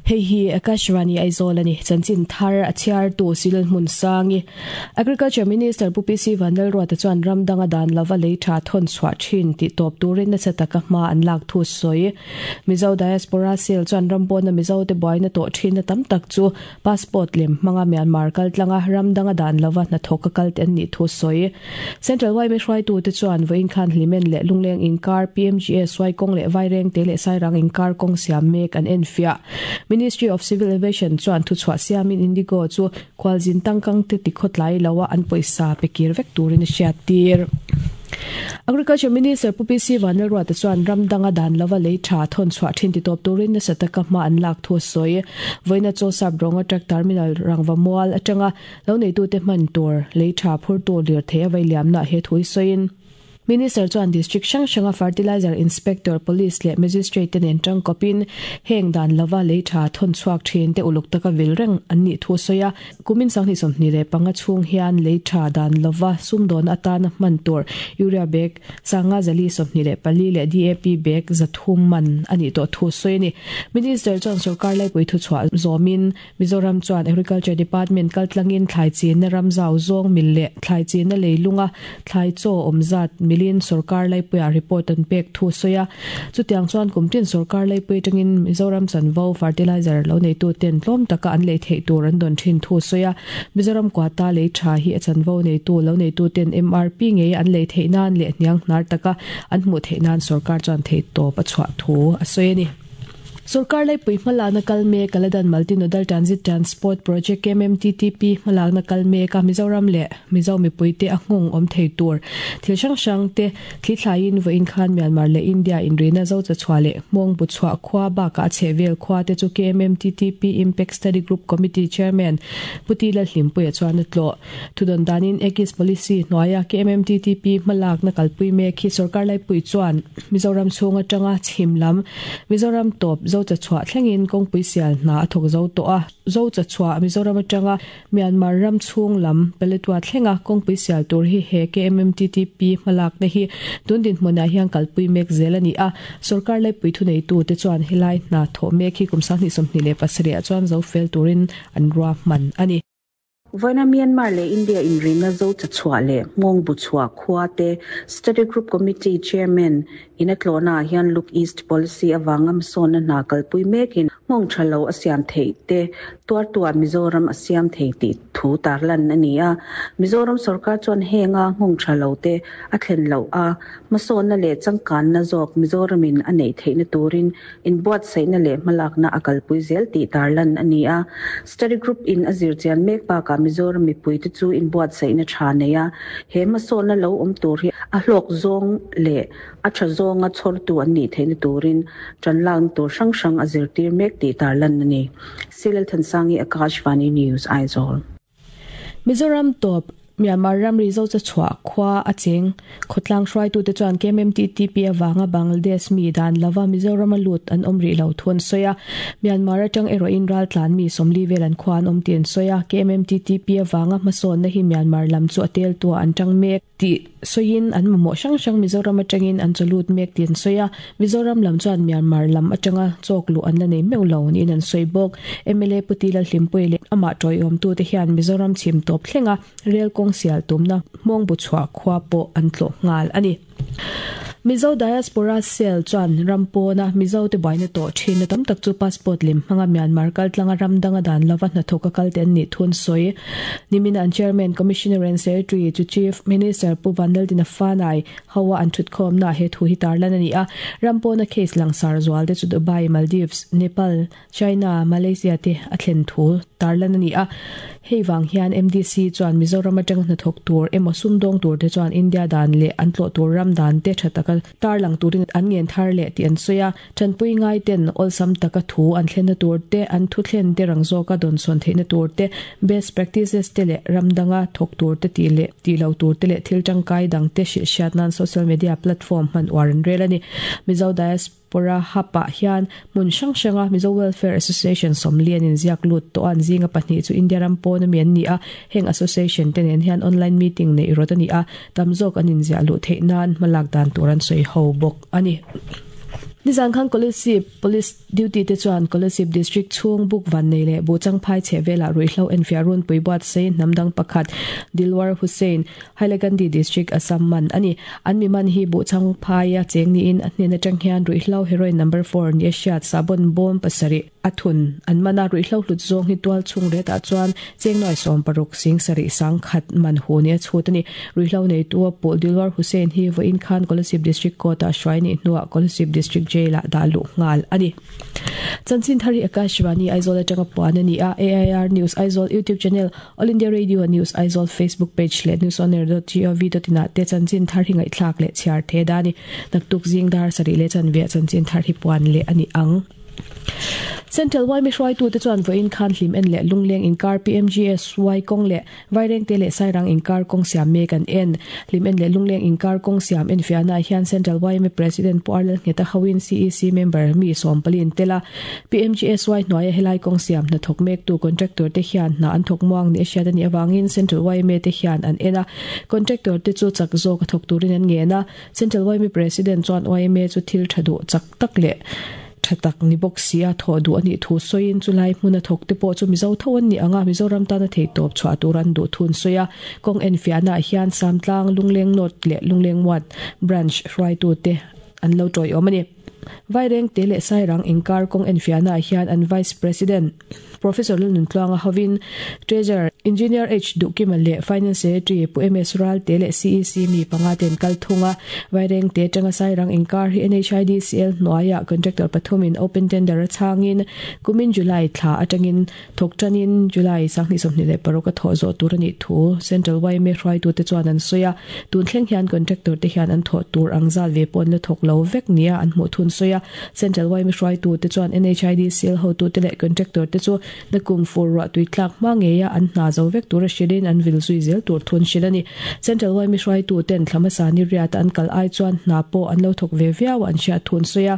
Hei hi Akashvani Aizawl a ni. Chanchin thar a chhiartu Silal Hmunsangi. Agriculture Minister Pu PC Vanlalruata chuan ram danga dan lova lei tha thawn chhuah thin tih tawp turin nasa taka hma an lak thu sawi. Mizo Diaspora Cell chuan ram pawna Mizo te buaina tawh thinna tam tak chu Passport lem hmanga Myanmar kal tlanga ram danga dan lova hnathawk a kal te an nih thu sawi. Central yma hruaitute chuan vawiin khan Hlimen leh Lungleng inkar, PMGS, Suaikawng leh Vairengte leh Sairang inkar kawng siam mek an enfiah. Ministry of Civil Aviation chuan thuchhuah siamin Indigo chu khualzin tangkangte tikhawtlai loa an pawisa pe kir vek turin a hriattir. Agriculture Minister Pu PC Vanlalruata chuan ram danga dan lova lei tha thawn chhuah thin titawp turin nasa taka hma an lak thu a sawi. Vawiina chaw sap rawnga truck terminal rangva mual atanga lo neitute hman tur lei tha phurtu lirthei a vailiamna he thu hi sawiin Minister chuan District hrang hranga Fertilizer Inspector, Police leh Magistrate te nen tangkawpin heng dan lova lei tha thawn chhuak thin te uluk taka vil reng an nih thu a sawi a. Kumin 2025 chhung hian lei tha dan lova sumdawn atana hman tur Urea bag sanga zali 24 leh DAP bag 300 man a nih tawh thu sawi a ni. Minister chuan sorkar laipui thuchhuah zawmin Mizoram chuan Agriculture Department kaltlangin thlai chinna ram zau zawng mil leh thlai chinna leilunga thlai chaw awm zat milin sorkar laipuiah report an pek thu sawi a. Chutiang chuan kum tin sorkar laipui atangin Mizoram chanvo fertilizer lo neituten tlawm taka an lei theih tur an dawn thin thu sawi a. Mizoram quata lei tha hi a chanvo neitu lo neituten MRP ngei an lei theih nan leh hniang hnar taka an hmuh theih nan sorkar chuan theihtawp a chhuah thu a sawi a ni. Sorkar laipui hmalakna kal mek Kaladan Multi Nodal Transit Transport Project, KMMTTP, hmalakna kal mek a, Mizoram leh Mizo mipuite a nghawng awm thei tur thil hrang hrang te thli thlaiin vawiin khan Myanmar leh India inrina Zocha chhuah leh Hmawng bu chhuah khua bakah a chhehvel khua te chu KMMTTP Impact Study Group Committee Chairman Pu Ti Lalhlimpuia chuan a tlawh. Thudawn danin Ekis Policy hnuaia KMMTTP hmalakna kalpui mek hi sorkar laipui chuan Mizoram chhung atanga chhim lam Mizoram tawp Zocha chhuah thlengin kawngpui sial hna a thawk zo tawh a. Zocha chhuah Mizoram atanga Myanmar ram chhung lam Paletwa thlenga kawngpui sial tur hi he KMMTTP hmalakna hi tun dinhmunah hian kalpui mek zel a ni a. Sorkar laipui thuneitute chuan helai hna thawh mek hi kum 2027 ah chuan zo fel turin an ruahman a ni. Vawiina Myanmar leh India inrina zo chachhuah leh nghawng bu chhuah khua te Study Group Committee Chairman in a tlawhna ah hian Look East Policy avanga hmasawnna hna kalpui mekin nghawng tha lo a siam theih te tuartu ah Mizoram a siam thei tih thu tarlan a ni a. Mizoram sorkar chuan henga nghawng tha lo te a thlen loh a, hmasawnna leh changkanna zawk Mizoramin a neih theihna turin Inbuatsaihna leh hmalakna a kalpui zel tih tarlan a ni a. Study Group in a zirchian mek bakah Mizoram mipuite chu inbuatsaihna tha nei a, he hmasawnna lo awm tur hi a hlawk zawng leh a tha zawnga chhawrtu an nih theihna turin tanlakna tur hrang hrang a zirtir mek tih tarlan a ni. Silal Thansangi, Akashvani News, Aizawl. Mizoram tawp Myanmar ramri Zocha chhuah khua a cheng. Khawtlang hruaitute chuan KMMTTP avanga Bangladesh mi dan lova Mizorama lut an awm rih lo thu an sawi a. Myanmar atang erawhin raltlan mi 40 vel an khua an awm tih an sawi a. KMMTTP avanga hmasawnna hi Myanmar lam chu a teltuah an tang mek tih sawiin an mamawh hrang hrang Mizoram atangin an chaw lut mek tih an sawi a. Mizoram lam chuan Myanmar lam atanga chawk luh an la nei meuh lo niin an sawi bawk. Mla Pu Ti Lalhlimpuii leh amah tawiawmtute hian Mizoram chhim tawp thlenga rel kawng sial tumna hmawng bu chhuah khua pawh an tlawh nghal a ni. Mizo Diaspora Cell chuan ram pawna Mizote buaina tawh thinna tam tak chu passport lem hmanga Myanmar kaltlanga ram danga dan lova hnathawk a kal te an nih thu an sawi. Nimin an Chairman, Commissioner and Secretary chu Chief Minister Pu Vanlaldina Fanai hoa an thutkhawmnaah he thu hi tarlan a ni a. Ram pawna case langsar zual te chu Dubai, Maldives, Nepal, China, Malaysia te a thlen thu tarlan a ni a. Hei vang hian MDC chuan Mizoram atanga hnathawk tur emaw sumdawng tur te chuan India dan leh an tlawh tur ram dan te tha taka tarlang turin an ngen thar leh tih an sawi a. Tanpui ngai ten awlsam taka thu an thlenna tur te, an thu thlen te rang zawka dawnsawn theihna tur te, best practices te leh ram danga thawk tur te tih leh tih lo tur te leh thil tangkai dang te hrilhhriat nan social media platform hman uar an rel a ni. Mizo Diaspora. Pawra Hub-ah hian hmun hrang hranga Mizo Welfare Association 40 in ziak lut tawh a, an zinga pahnih chu India ram pawn ami an ni a, heng association te nen hian online meeting neih rawt a ni a, tam zawk an inziah luh theih nan hmalak dan tur an sawi ho bawk a ni. Nizan khan Kolasib Police duty te chuan Kolasib District chhung buk vannei leh Buhchangphai chhehvelah ruihhlo enfiah runpui buatsaih hnam dang pakhat Dilwar Hussain, Hailakandi District, Assam man a ni. An mi man hi Buhchangphaia cheng niin a hnen atang hian ruihhlo heroin number four ni a hriat sabon bawm pasarih a thun an man a. Ruihhlo hlut zawng hi tual chhung retah chuan cheng nuai 60 sing sarih sang khat man hu ni a chhut a ni. Ruihhlo neitu a pawh Dilwar Hussain hi vawiin khan Kolasib District Court-ah hruai nih hnuah Kolasib District Jail-ah dah luh nghal a ni. Chanchin thar hi Akashvani Aizawl atanga puan a ni a, AIR News Aizawl YouTube channel, All India Radio News Aizawl Facebook page leh newsonair.gov.in ah te chanchin thar hi ngaihthlak leh chhiar the da a ni. Naktuk zing dar sarih leh chanve ah chanchin thar hi puan leh a ni ang. Central yma hruaitute chuan vawiin khan hlim en leh lungleng inkar PMGSY kawng leh Vairengte leh Sairang inkar kawng siam mek an en. Hlim en leh lungleng inkar kawng siam enfiahnaah hian Central yma President Pu Arlal Ngheta hoin CEC member mi sawmpali an tel a. PMGSY hnuaia helai kawng siam hna thawk mektu contractor te hian hna an thawk muang ni a hriat a nih avangin Central yma te hian an en a. Contractor te chu chak zawk a thawk turin an ngen a. Central yma President chuan yma chu thil tha duh chak tak leh tha tak ni bawk si a thawh duh a nih thu sawiin chulai hmuna thawk te pawh chu Mizo tho an nih ang a, Mizoram tana theihtawp chhuah tur an duh thun sawi a. Kawng enfiahnaah hian Samtlang, Lungleng North leh Lungleng Ward Branch hruaitute an lo tawiawm a ni. Vairengte leh Sairang inkar kawng enfiahnaah hian an Vice President, Professor Lalnuntluanga hovin Treasurer Engineer H Duhkima leh Finance Secretary Pu MS Ralte leh CEC mi panga ten kal thung a. Vairengte atanga Sairang inkar hi NHIDCL hnuaiah contractor pathumin open tender a chhangin kumin July thla atangin thawk tanin July 2026 a thawh zawh tur a nih thu Central yma hruaitute chuan an sawi a. Tun thleng hian contractor te hian an thawh tur ang zal ve pawh an la thawk lo vek nia an hmuh thun sawi a. Central yma hruaitute chuan NHIDCL hotute leh contractor te chu nakum fur ruah tui tlak hma ngeia an hna zo vek tura hrilhin an vil zui zel tur thun hrilh a ni. Central yma hruaituten thla hmasa ni riata an kal ai chuan hna pawh an lo thawk ve viau a an hriat thun sawi a.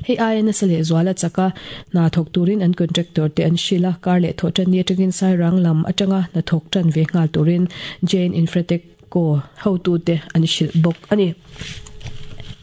Hei aia nasa leh zuala chaka hna thawk turin an contractor te an hrilh a, kar leh thawh tan ni atangin Sairang lam atanga hna thawk tan ve nghal turin Jain Infratech Co hotute an hrilh bawk a ni.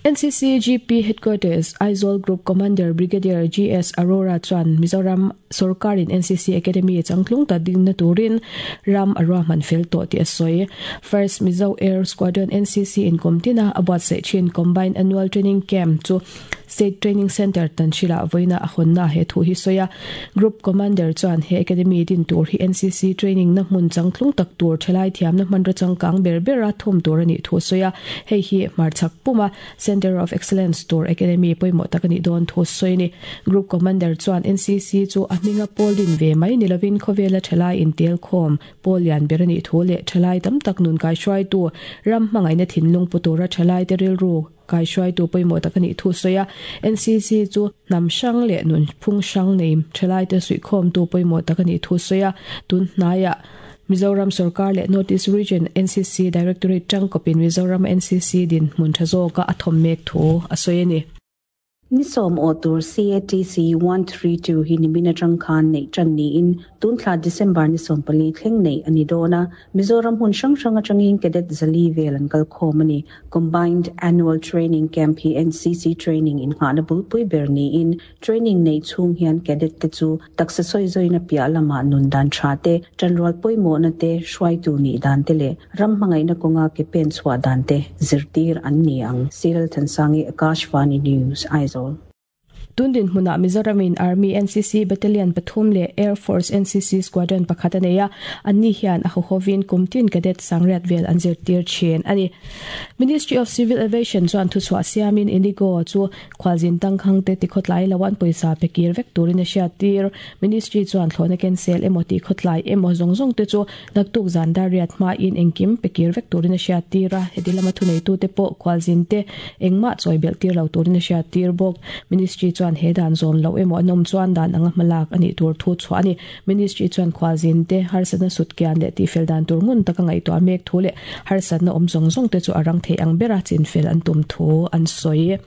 NCC GP Headquarters, Aizawl Group Commander Brigadier GS Arora chuan Mizoram sawrkarin NCC Academy changtlung ta dingna turin ram a ruahman fel tawh tih a sawi. First Mizo Air Squadron NCC in kum tina a buatsaih thin Combined Annual Training Camp chu State Training Centre Tanhrila vawiina a hawnna he thu hi sawi a. Group Commander chuan he Academy din tur hi NCC training na hmun changtlung tak tur thalai thiamna hmanraw changkang ber bera thawm tur a nih thu a sawi a. Hei hi hmarchhak puma Centre of Excellence tur Academy pawimawh tak a nih dawn thu a sawi a ni. Group Commander chuan NCC chu a hminga pawl din ve mai ni lovin khawvela thalai intel khawm pawl lian ber a nih thu leh thalai tam tak nun kaihruaitu ram hmangaihna thinlung pu tura thalaite rilru Kaihruaitu pawimawh tak a nih thu sawi a, NCC chu hnam hrang leh nunphung hrang nei thalaite suihkhawmtu pawimawh tak a nih thu sawi a, tun hnaiah Mizoram sorkar leh North East Region NCC Directorate tangkawpin Mizoram NCC dinhmun tha zawka a thawm mek thu a sawi a ni. Ni sawm awh tur CATC 132 hi nimin atang khan neih tan niin tunthla December ni 14 thleng neih a ni dawn a. Mizoram hmun hrang hrang atangin cadet zali vel an kal khawm a ni. Combined Annual Training Camp hi NCC training innghahna bulpui ber niin training neih chhung hian cadet te chu taksa sawizawiin a piah lamah nun dan tha te, tanrual pawimawhna te, hruaitu nih dan te leh Ram hmangaihna kawnga ke pen chhuah dan te zirtir an ni ang, Cyril Thansangi, Akashvani News, Aizawl. Tun dinhmunah Mizoramin Army NCC Battalion pathum leh Air Force NCC Squadron pakhat a nei a, anni hian a hawhawin kum tin cadet sangriat vel an zirtir thin a ni. Ministry of Civil Aviation chuan thuchhuah siamin Indigo chu Khualzin tangkhang te tikhawtlai lo an pawisa pe kir vek turin a hriattir. Ministry chuan thlawhna cancel emaw tihkhawtlai emaw zawng zawng te chu naktuk zan dar riat hmain engkim pe kir vek turin a hriattir a, heti lama thuneitute pawh khualzin te engmah chawi belh tir lo turin a hriattir bawk. Ministry chuan he dan zawn loh emaw an awm chuan dan anga hmalak a nih tur thu chhuah a ni. Ministry chuan khualzin te harsatna sutkian leh tihfel dan tur ngun taka ngaihtuah mek thu leh harsatna awm zawng zawng te chu a rang thei ang bera chinfel an tum thu an sawi.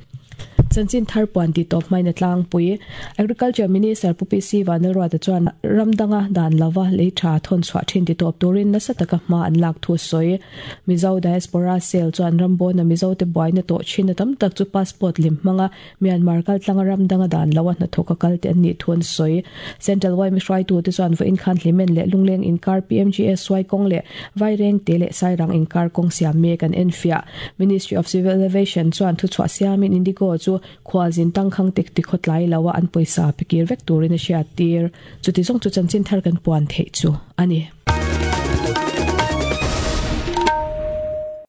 Chanchin thar puan tih tawp hmain a tlangpui. Agriculture Minister Pu PC Vanlalruata chuan ram danga dan lova lei tha thawn chhuah thin ti tawp turin nasa taka hma an lak thu a sawi. Mizo Diaspora Cell chuan ram bawna Mizote buaina tawh thin a tam tak chu passport lem hmanga Myanmar kaltlanga ram danga dan loa hnathawk a kal te an nih thu an sawi. Central yma hruaitute chuan vawiin khan Hlimen leh Lungleng inkar PMGSY kawng leh Vairengte leh Sairang inkar kawng siam mek an enfiah. Ministry of Civil Aviation chuan thuchhuah siamin Indigo chu khualzin tangkhang tek ti khawtlai loa an pawisa pe kir vek turin a hriattir. Chuti zawng chu chanchin thar kan puan theih chu a ni.